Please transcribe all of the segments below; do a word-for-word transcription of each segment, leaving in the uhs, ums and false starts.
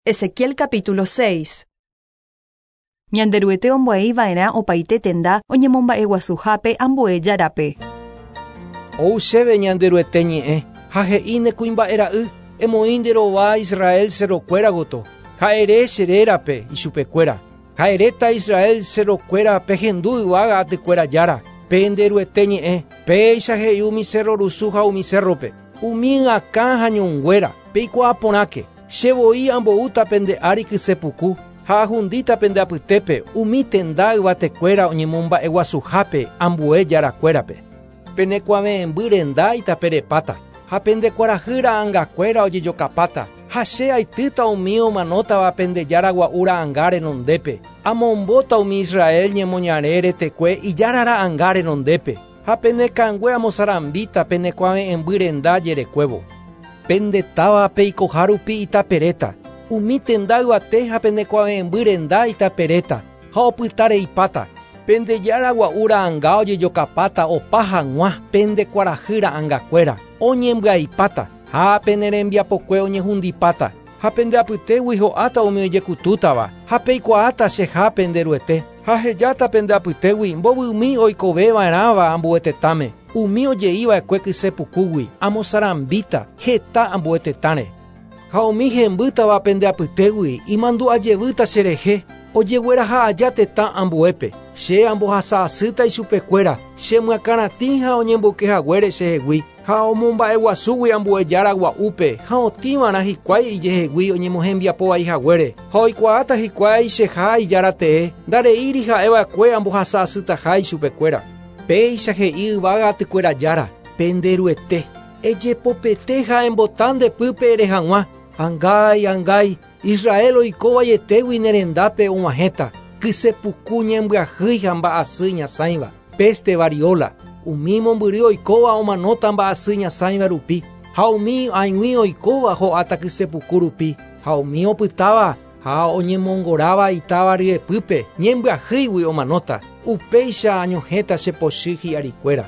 Ezequiel capítulo seis. Ñanderuete ombo'eiva'erã opaite tenda oñemomba'eguasuhápe ambue járape. Ou chéve Ñanderuete ñe'ẽ ha he'i ne kuimba'era'y emoĩ nde rova Israel cerrokuéra gotyo ha ere che rérape ichupekuéra ha eréta Israel cerrokuéra pehendu yvága atykuéra jára pe Nderuete ñe'ẽ péicha he'i umi cerro rusu ha umi cerrope umi akã ha ñonguéra peikuaa porãke che voi amboúta pende ári kysepuku ha ahundíta pende apytépe umi tenda yvatekuéra oñemomba'eguasuhápe ambue jarakuérape penekuave'ẽmby renda itaperepáta ha pende kuarahy ra'angakuéra ojejokapáta ha che aitýta umi omanótava pende jára gua'u ra'anga renondépe amombóta umi Israel ñemoñare retekue ijára ra'anga renondépe ha penekangue amosarambíta penekuave'ẽmby renda jerekuévo pende táva peikoha rupi itaperéta umi tenda yvate ha penekuave'ẽmby renda itaperéta ha opytareipáta pende jára gua'u ra'anga ojejokapáta opa hag̃ua pende kuarahy ra'angakuéra oñembyaipáta ha pene rembiapokue oñehundipáta ha pende apytégui ho'áta umi ojekutútava ha peikuaáta cheha Penderuete ha hejáta pende apytégui mbovymi oikoveva'erãva ambue tetãme umi oje'iva'ekue kysepukúgui amosarambíta heta ambue tetãre ha umi hembýtava pende apytégui imandu'ajevýta cherehe ojegueraha aja tetã ambuépe che ambohasa'asýta ichupekuéra chemyakãratĩ ha oñemboykehaguére chehegui ha omomba'eguasúgui ambue jára gua'úpe ha otĩva'erã hikuái ijehegui oñemohembiapovaihaguére ha oikuaáta hikuái cheha ijára tee ndareíri ha'eva'ekue ambohasa'asytaha ichupekuéra péicha he'i yvága atykuéra jára Penderuete ejepopete ha embota nde pýpe ere hag̃ua angái angái Israel oikóvaietégui nerendápe og̃uahẽta kysepuku ñembyahýi ha mba'asy ñasãiva peste variola umi mombyry oikóva omanóta mba'asy ñasãiva rupi ha umi ag̃ui oikóva ho'áta kysepuku rupi ha umi opytáva ha oñemongoráva itáva ryepýpe ñembyahýigui omanóta upéicha añohẽta chepochy hi'arikuéra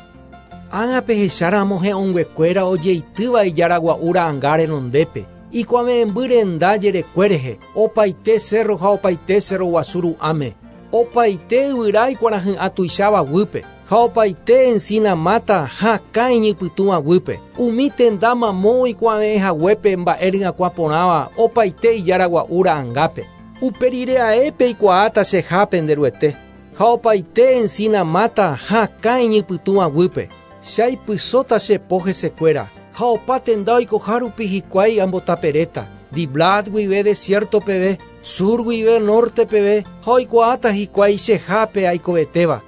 ág̃a pehecháramo he'õnguekuéra ojeitýva ijára gua'u ra'anga renondépe ikuave'ẽmby renda jerekue rehe opaite cerro ha opaite cerro guasu ru'ãme opaite yvyra ikuarahy'ã tuicháva guýpe ha opaite encina máta hakã iñypytũva guýpe umi tenda mamo oikuave'ẽhaguépe mba'e ryakuã porãva opaite ijára gua'u ra'angápe upe rire ae peikuaáta cheha Penderuete ha opaite encina máta hakã iñypytũva guýpe chaipysóta che po hesekuéra ha opa tenda oikoha rupi hikuái ambotaperéta Diblat guive desierto peve sur guive norte peve ha oikuaáta hikuái chehápe aikovetéva.